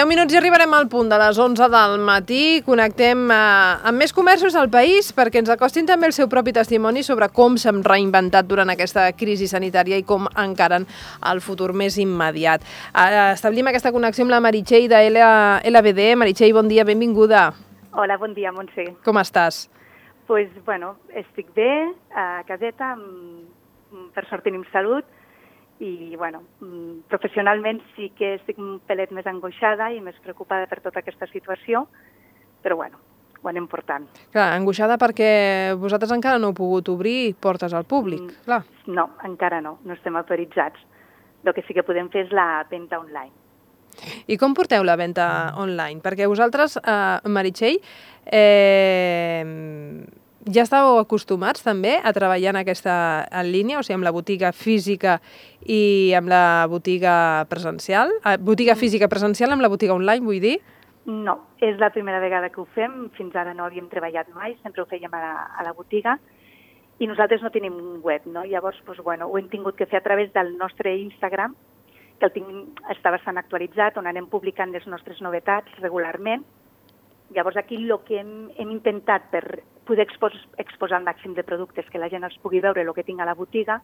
10 minuts i arribarem al punt de les 11 del matí. Connectem amb més comerços del país perquè ens acostin també el seu propi testimoni sobre com s'han reinventat durant aquesta crisi sanitària i com encaren el futur més immediat. Establim aquesta connexió amb la Meritxell de LBD. Meritxell, bon dia, benvinguda. Hola, bon dia, Montse. Com estàs? Pues, bueno, estic bé, a caseta, per sort tenim salut, i, bueno, professionalment sí que estic un pelet més angoixada i més preocupada per tota aquesta situació, però, bueno, ho anem portant. Clar, angoixada perquè vosaltres encara no heu pogut obrir portes al públic, clar. No, encara no estem autoritzats. El que sí que podem fer és la venda online. I com porteu la venda online? Perquè vosaltres, Meritxell, ja estàveu acostumats també a treballar en línia, o sigui, amb la botiga física i amb la botiga presencial? Botiga física presencial amb la botiga online, vull dir? No, és la primera vegada que ho fem, fins ara no havíem treballat mai, sempre ho fèiem a la botiga, i nosaltres no tenim un web, no? Llavors, doncs, bueno, ho hem tingut que fer a través del nostre Instagram, que està bastant actualitzat, on anem publicant les nostres novetats regularment. Llavors, aquí el que hem intentat per poder exposar el màxim de productes, que la gent els pugui veure el que tinc a la botiga,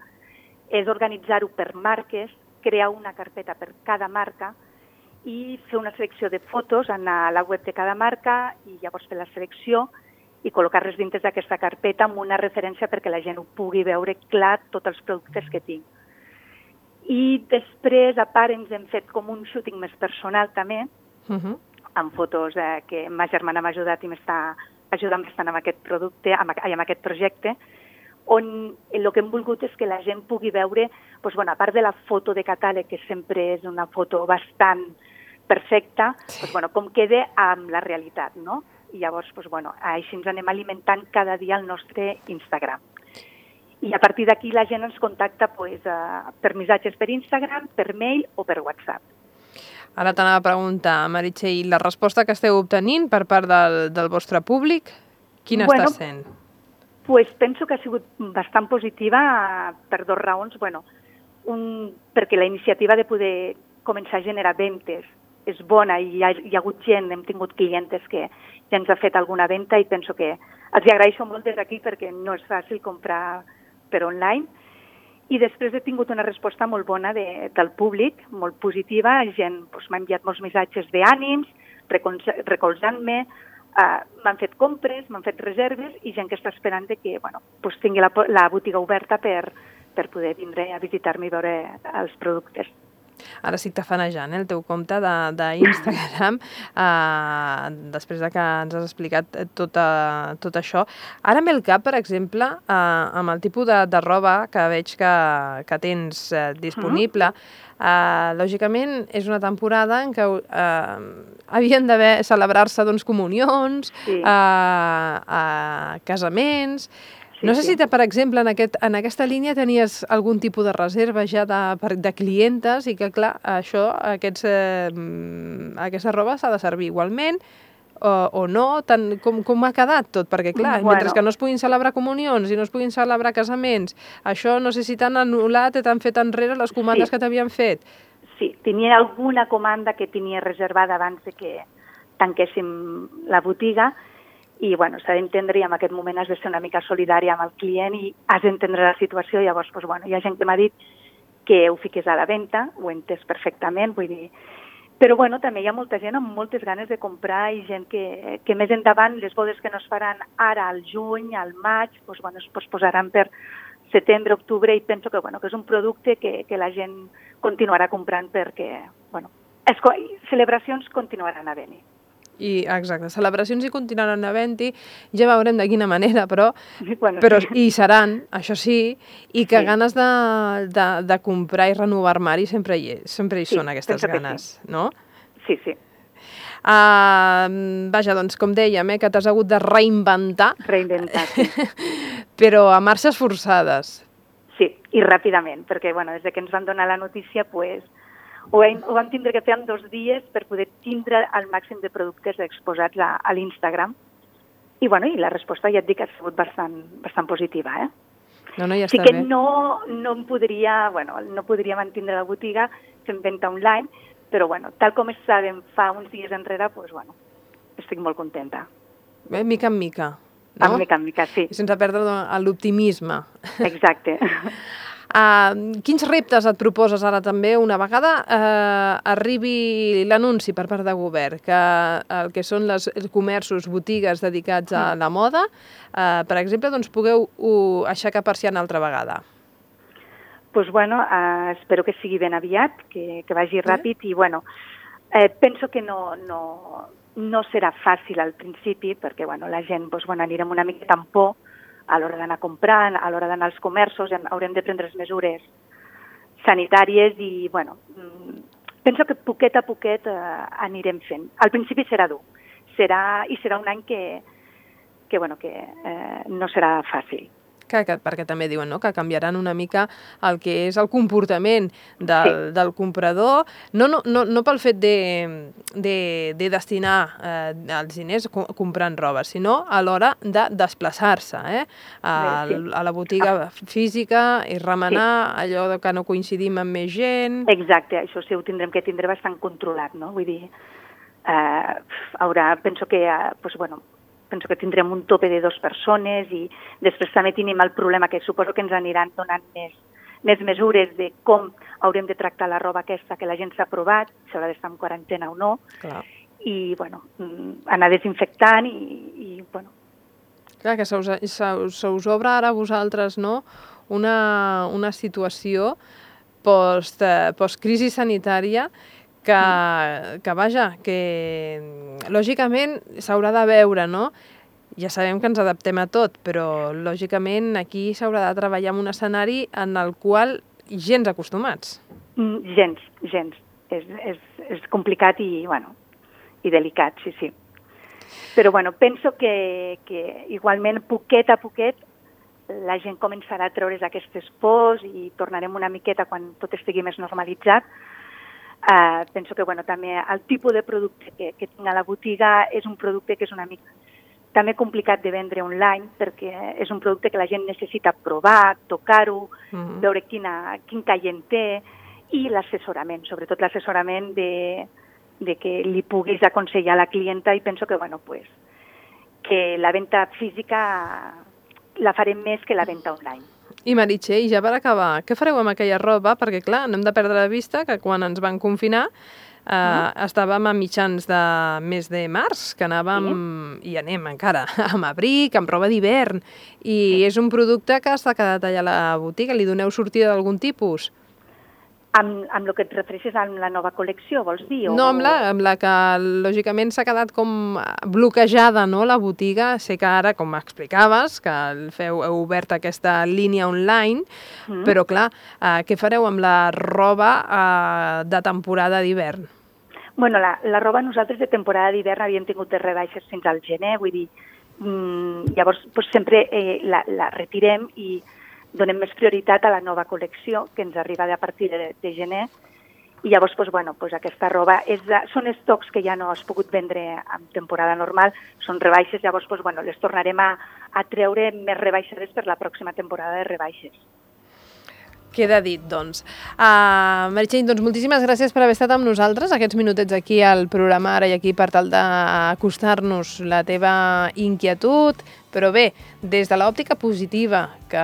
és organitzar-ho per marques, crear una carpeta per cada marca i fer una selecció de fotos a la web de cada marca i llavors fer la selecció i col·locar-les dintre d'aquesta carpeta amb una referència perquè la gent ho pugui veure clar tots els productes que tinc. I després, a part, ens hem fet com un shooting més personal també, amb fotos que ma germana m'ha ajudat i m'està ajudant bastant amb aquest producte, amb aquest projecte, on el que hem volgut és que la gent pugui veure, doncs, bueno, a part de la foto de catàleg, que sempre és una foto bastant perfecta, doncs, bueno, com queda amb la realitat, no? I llavors, doncs, bueno, així ens anem alimentant cada dia al nostre Instagram. I a partir d'aquí la gent ens contacta per missatges per Instagram, per mail o per WhatsApp. Ara t'anava a preguntar, Meritxell, la resposta que esteu obtenint per part del vostre públic, quina està sent? Pues penso que ha sigut bastant positiva per dues raons. Bueno, perquè la iniciativa de poder començar a generar ventes és bona i hi ha hagut gent, hem tingut clientes que ja ens ha fet alguna venda i penso que els agraeixo molt des d'aquí perquè no és fàcil comprar per online. I després he tingut una resposta molt bona del públic, molt positiva. La gent m'ha enviat molts missatges d'ànims, recolzant-me, m'han fet compres, m'han fet reserves i gent que està esperant que tingui la botiga oberta per poder vindre a visitar-me i veure els productes. Ara estic tafanejant el teu compte d'Instagram, després que ens has explicat tot això. Ara em ve el cap, per exemple, amb el tipus de roba que veig que tens disponible. Lògicament, és una temporada en què havien d'haver celebrar-se comunions, casaments. No sé si, per exemple, en aquesta línia tenies algun tipus de reserva ja de clientes i que, clar, aquesta roba s'ha de servir igualment o no, com ha quedat tot? Perquè, clar, mentre que no es puguin celebrar comunions i no es puguin celebrar casaments, això no sé si t'han anul·lat i t'han fet enrere les comandes que t'havien fet. Sí, tenia alguna comanda que tenia reservada abans que tanquéssim la botiga. I, bueno, s'ha d'entendre i en aquest moment has de ser una mica solidària amb el client i has d'entendre la situació. Llavors, hi ha gent que m'ha dit que ho fiqués a la venda, ho he entès perfectament, vull dir. Però, també hi ha molta gent amb moltes ganes de comprar i gent que més endavant, les bodes que no es faran ara al juny, al maig, es posposaran per setembre, octubre, i penso que és un producte que la gent continuarà comprant perquè, celebracions continuaran havent-hi. Exacte, celebracions hi continuaran havent-hi, ja veurem de quina manera, però hi seran, això sí, i que ganes de comprar i renovar armari sempre hi són aquestes ganes, no? Sí, sí. Vaja, doncs, com dèiem, que t'has hagut de reinventar. Sí. Però a marxes forçades. Sí, i ràpidament, perquè, des que ens van donar la notícia, ho vam tindre que fer en 2 dies per poder tindre el màxim de productes exposats a l'Instagram. I la resposta, ja et dic, ha sigut bastant positiva. No, ja sí està que bé. no podria mantindre la botiga fent venda online, Però, bueno, tal com estàvem fa uns dies enrere, doncs, bueno, estic molt contenta. Mica en mica, no? Mica en mica, sí. I sense perdre l'optimisme. Exacte. Quins reptes et proposes ara també una vegada arribi l'anunci per part de govern que el que són els comerços, botigues dedicats a la moda, per exemple, doncs pugueu aixecar persiana altra vegada? Doncs, bueno, espero que sigui ben aviat, que vagi ràpid i, bueno, penso que no serà fàcil al principi perquè, bueno, la gent, doncs, bueno, anirem una miqueta amb por a l'hora d'anar comprant, a l'hora d'anar als comerços, haurem de prendre les mesures sanitàries i, bueno, penso que poquet a poquet anirem fent. Al principi serà dur, serà un any que no serà fàcil. Perquè també diuen, no?, que canviaran una mica el que és el comportament del comprador, no pel fet de destinar els diners comprant roba, sinó a l'hora de desplaçar-se a la botiga física i remenar allò que no coincidim amb més gent. Exacte, això sí, ho tindrem que tindre bastant controlat, no? Vull dir, penso que tindrem un tope de 2 persones i després també tenim el problema que suposo que ens aniran donant més mesures de com haurem de tractar la roba aquesta que la gent s'ha provat, si haurà d'estar en quarantena o no, i bueno, anar desinfectant i bueno. Clar, que se us obre ara a vosaltres, no?, una situació post-crisi sanitària que vaja, que lògicament s'haurà de veure, no? Ja sabem que ens adaptem a tot, però lògicament aquí s'haurà de treballar en un escenari en el qual gens acostumats. Gens. És complicat i, bueno, i delicat, sí. Però, bueno, penso que igualment, poquet a poquet, la gent començarà a treure's aquestes pors i tornarem una miqueta quan tot estigui més normalitzat. Penso que, bueno, també el tipus de producte que tinc a la botiga és un producte que és una mica també complicat de vendre online perquè és un producte que la gent necessita provar, tocar-ho, veure quin caient té i l'assessorament, sobretot l'assessorament de que li puguis aconsellar a la clienta i penso que, bueno, pues, que la venda física la farem més que la venda online. I Meritxell, ja per acabar, què fareu amb aquella roba? Perquè, clar, no hem de perdre de vista que quan ens van confinar estàvem a mitjans de mes de març, que anàvem, i anem encara, amb abric, amb roba d'hivern, i és un producte que s'ha quedat allà a la botiga. Li doneu sortida d'algun tipus? Amb el que et refereixes amb la nova col·lecció, vols dir? No, amb la que lògicament s'ha quedat com bloquejada, no?, la botiga. Sé que ara, com explicaves, que heu obert aquesta línia online, però clar, què fareu amb la roba de temporada d'hivern? Bueno, la roba nosaltres de temporada d'hivern havíem tingut de rebaixes fins al gener, vull dir, llavors sempre la retirem i donem més prioritat a la nova col·lecció que ens arriba a partir de gener i llavors aquesta roba són estocs que ja no has pogut vendre en temporada normal, són rebaixes, llavors les tornarem a treure més rebaixades per la pròxima temporada de rebaixes. Queda dit, doncs. Meritxell, doncs moltíssimes gràcies per haver estat amb nosaltres aquests minutets aquí al programa Ara i Aquí per tal d'acostar-nos la teva inquietud, però bé, des de l'òptica positiva, que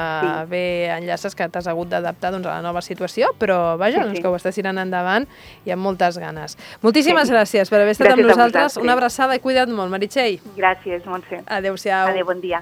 bé enllaces que t'has hagut d'adaptar a la nova situació, però vaja, que ho estàs tirant endavant i amb moltes ganes. Moltíssimes gràcies per haver estat amb nosaltres. Una abraçada i cuida't molt, Meritxell. Gràcies, Montse. Adéu-siau. Adéu, bon dia.